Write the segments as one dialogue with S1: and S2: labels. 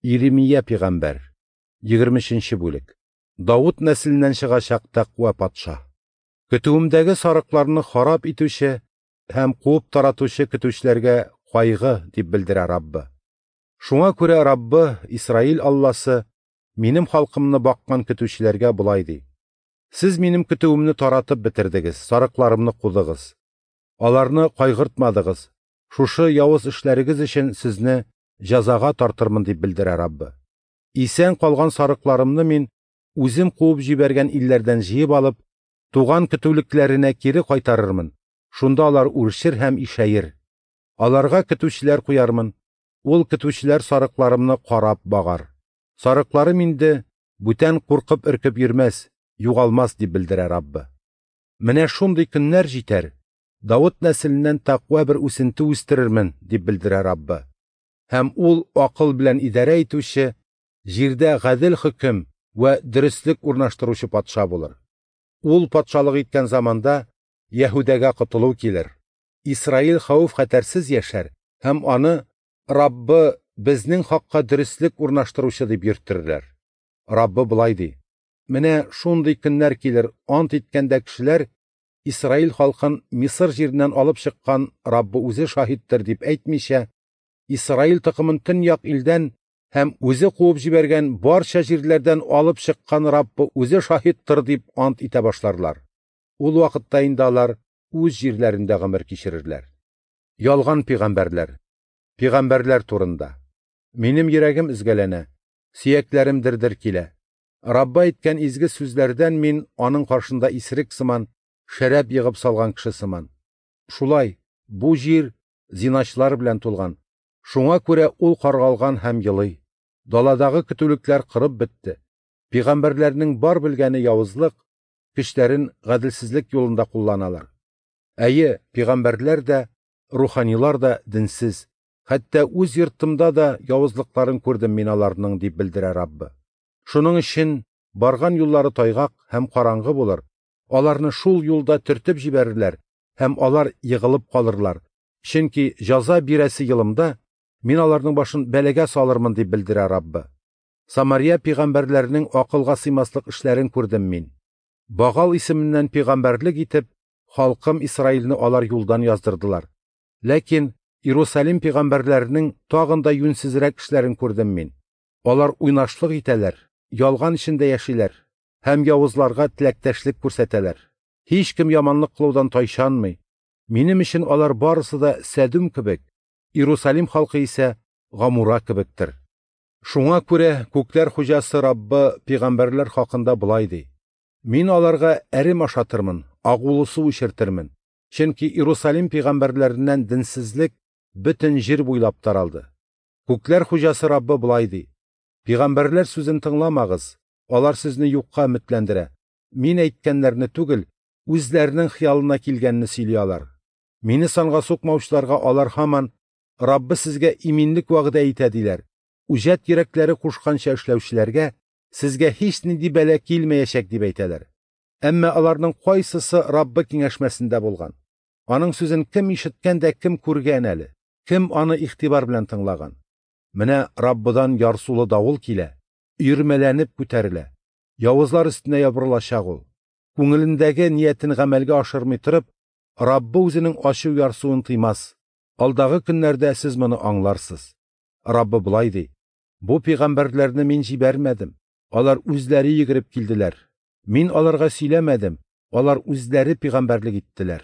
S1: Иремия пигамбәр, 23 бүлек. Давыт нәселеннән чыгачак тәкъва патша. Көтүемдәге сарыкларны харап итүче һәм куып таратучы көтүчеләргә кайгы, дип белдерә Раббы. Шуңа күрә Раббы, Исраил Алласы, минем халкымны баккан көтүчеләргә болай ди: Сез минем көтүемне таратып бетердегез, сарыкларымны кудыгыз. Аларны кайгыртмадыгыз. Шушы явыз эшләрегез өчен сезне җәзага тартырмын, дип белдерә Раббы. Исән калган сарыкларымны мин үзем куып җибәргән илләрдән җыеп алып, туган көтүлекләренә кире кайтарырмын. Шунда алар үрчер һәм ишәер. Аларга көтүчеләр куярмын. Ул көтүчеләр сарыкларымны карап багар. Сарыкларым инде бүтән куркып өркеп йөрмәс, югалмас, дип белдерә Раббы. Менә шундый көннәр җитәр. Давыт нәселеннән тәкъва бер үсенте үстерермен, дип белдерә Раббы. Һәм ул акыл белән идарә итүче, җирдә гадел хөкем вә дөреслек урнаштыручы патша булыр. Ул патшалык иткән заманда Яһүдәгә котылу килер. Исраил хәвеф-хәтәрсез яшәр һәм аны Раббы безнең хакка дөреслек урнаштыручы дип йөртерләр. Раббы болай ди: Менә шундый көннәр килер, ант иткәндә кешеләр Исраил халкын Мисыр җиреннән алып чыккан Раббы үзе шаһиттыр дип әйтмичә, Исраил токымын төньяк илдән һәм үзе куып җибәргән барча җирләрдән алып чыккан Раббы үзе шаһиттыр дип ант итә башларлар. Ул вакытта инде алар үз җирләрендә гомер кичерерләр. Ялган пигамбәрләр. Пигамбәрләр турында. Минем йөрәгем өзгәләнә, сөякләрем дер-дер килә. Раббы әйткән изге сүзләрдән мин аның каршында исерек сыман, шәраб егып салган кеше сыман. Шулай, бу җир зиначылар белән тулган. Шуңа күрә ул каргалган һәм елый. Даладагы көтүлекләр кырып бетте. Пигамбәрләрнең бар белгәне явызлык, көчләрен гаделсезлек юлында кулланалар. Әйе, пигамбәрләр дә, руханилар да динсез. Хәтта үз йортымда да явызлыкларын күрдем мин аларның, дип белдерә Раббы. Шуның өчен барган юллары тайгак һәм караңгы булыр. Аларны шул юлда төртеп җибәрерләр һәм алар егылып калырлар. Чөнки җәза бирәсе елымда мин аларның башын бәлагә салырмын, дип белдерә Раббы. Самария пигамбәрләренең акылга сыймаслык эшләрен күрдем мин. Багал исеменнән пигамбәрлек итеп, халкым Исраилне алар юлдан яздырдылар. Ләкин Иерусалим пигамбәрләренең тагын да юньсезрәк эшләрен күрдем мин. Алар уйнашлык итәләр, ялган эчендә яшиләр һәм явызларга теләктәшлек күрсәтәләр. Һич кем яманлык кылудан тайчанмый. Минем өчен алар барысы да Сәдүм кебек, Иерусалим халкы исә Гамура кебектер. Шуңа күрә күкләр хуҗасы Раббы пигамбәрләр хакында болай ди: Мин аларга әрем ашатырмын, агулы су эчертермен. Чөнки Иерусалим пигамбәрләреннән динсезлек бөтен җир буйлап таралды. Күкләр хуҗасы Раббы болай ди: Пигамбәрләр сүзен тыңламагыз, алар сезне юкка өметләндерә. Мин әйткәннәрне түгел, үзләренең хыялына килгәнне сөйли алар. Мине санга сукмаучыларга алар һаман Раббы сезгә иминлек вәгъдә итә диләр. Үҗәт йөрәкләре кушканча эшләүчеләргә сезгә һич нинди бәла килмәячәк дип әйтәләр. Әмма аларның кайсысы Раббы киңәшмәсендә булган? Аның сүзен кем ишеткән дә кем күргән әле? Кем аны игътибар белән тыңлаган? Менә Раббыдан ярсулы давыл килә, өермәләнеп күтәрелә. Явызлар өстенә ябырылачак ул. Күңелендәге ниятен гамәлгә ашырмый торып, Раббы үзенең ачу ярсуын тыймас. Алдагы көннәрдә сез моны аңларсыз. Раббы болай ди: Бу пигамбәрләрне мин җибәрмәдем. Алар үзләре йөгереп килделәр. Мин аларга сөйләмәдем, алар үзләре пигамбәрлек иттеләр.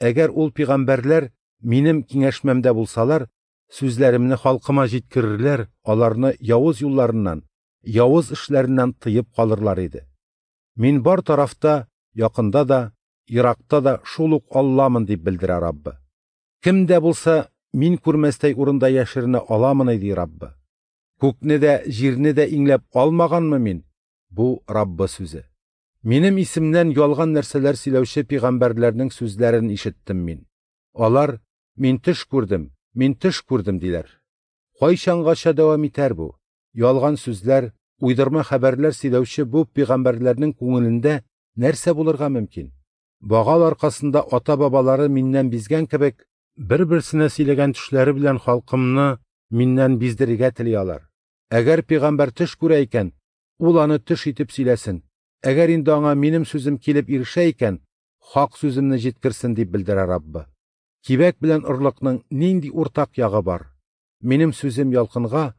S1: Әгәр ул пигамбәрләр минем киңәшмәмдә булсалар, сүзләремне халкыма җиткерерләр, аларны явыз юлларыннан, явыз эшләреннән тыеп калырлар иде. Мин бар тарафта, якында да, еракта да шул ук Алламын, дип белдерә Раббы. Кем дә булса мин күрмәстәй урында яшеренә аламын, ди Раббы. Күкне дә, җирне дә иңләп алмаганмы мин? Бу Раббы сүзе. Минем исемнән ялган нәрсәләр сөйләүче пигамбәрләрнең сүзләрен ишеттем мин. Алар: Мин төш күрдем, мин төш күрдем диләр. Кайчангача дәвам итәр бу? Ялган сүзләр, уйдырма хәбәрләр сөйләүче бу пигамбәрләрнең күңелендә нәрсә булырга мөмкин? Багал аркасында ата-бабалары миннән бизгән кебек, бер-берсенә сөйләгән төшләре белән халкымны миннән биздерергә тели алар. Әгәр пәйгамбәр төш күрә икән, ул аны төш итеп сөйләсен. Әгәр инде аңа минем сүзем килеп ирешә икән, хак сүземне җиткерсен, дип белдерә Раббы. Кибәк белән орлыкның нинди уртак ягы бар? Минем сүзем ялкынга,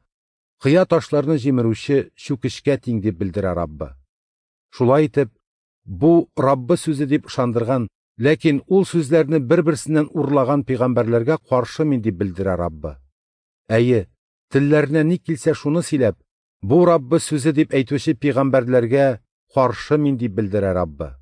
S1: кыя ташларны җимерүче чүкечкә тиң, дип белдерә Раббы. Шулай итеп, бу Раббы сүзе дип ышандырган, ләкин ул сүзләрне бер-берсеннән урлаган пәйгамбәрләргә каршы мин, дип белдерә Раббы. Әйе, телләренә ни килсә шуны сөйләп, бу Раббы сүзе дип әйтүче пәйгамбәрләргә каршы мин, дип белдерә Раббы.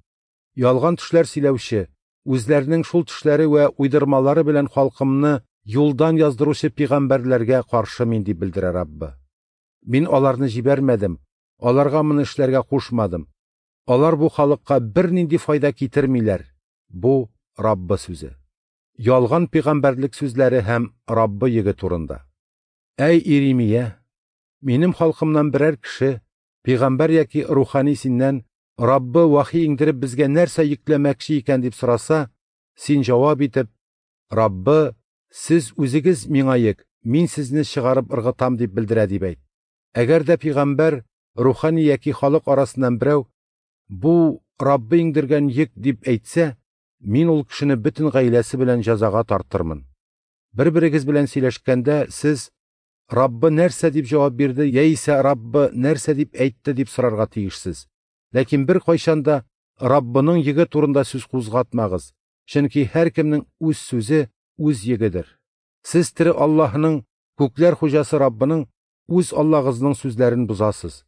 S1: Ялган төшләр сөйләүче, үзләренең шул төшләре вә уйдырмалары белән халкымны юлдан яздыручы пәйгамбәрләргә каршы мин, дип белдерә Раббы. Мин аларны җибәрмәдем, аларга моны эшләргә кушмадым. Алар бу халыкка бернинди файда китермиләр. Бу Раббы сүзе. Ялган пәйгамбәрлек сүзләре һәм Раббы йөге турында. Әй Иремия, минем халкымнан берәр кеше, пәйгамбәр яки рухани синнән Раббы вахи иңдереп безгә нәрсә йөкләмәкче икән дип сораса, син җавап итеп, Раббы, сез үзегез миңа йөк, мин сезне чыгарып ыргытам дип белдерә дип әйт. Әгәр дә пәйгамбәр, рухани яки халык арасыннан берәү, бу Раббы иңдергән йөк дип әйтсә, мин ул кешене бөтен гаиләсе белән җәзага тартырмын. Бер-берегез белән сөйләшкәндә сез Раббы нәрсә дип җавап бирде яисә Раббы нәрсә дип әйтте дип сорарга тиешсез. Ләкин бер кайчан да Раббының йөге турында сүз кузгатмагыз, чөнки һәркемнең үз сүзе үз йөгедер. Сез тере Аллаһының, күкләр хуҗасы Раббының, үз Аллаһыгызның сүзләрен бозасыз.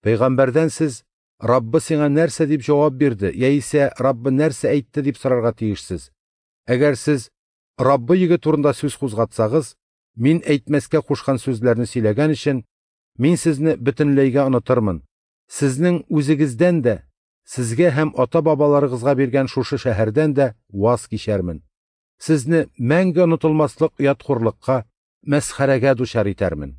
S1: Пәйгамбәрдән сез Раббы сиңа нәрсә дип җавап бирде яисә Раббы нәрсә әйтте дип сорарга тиешсез. Әгәр сез Раббы йөге турында сүз кузгатсагыз, мин әйтмәскә кушкан сүзләрне сөйләгән өчен, мин сезне бөтенләйгә онытырмын. Сезнең үзегездән дә, сезгә һәм ата-бабаларыгызга биргән шушы шәһәрдән дә ваз кичәрмен. Сезне мәңге онытылмаслык оят-хурлыкка, мәсхәрәгә дучар итәрмен.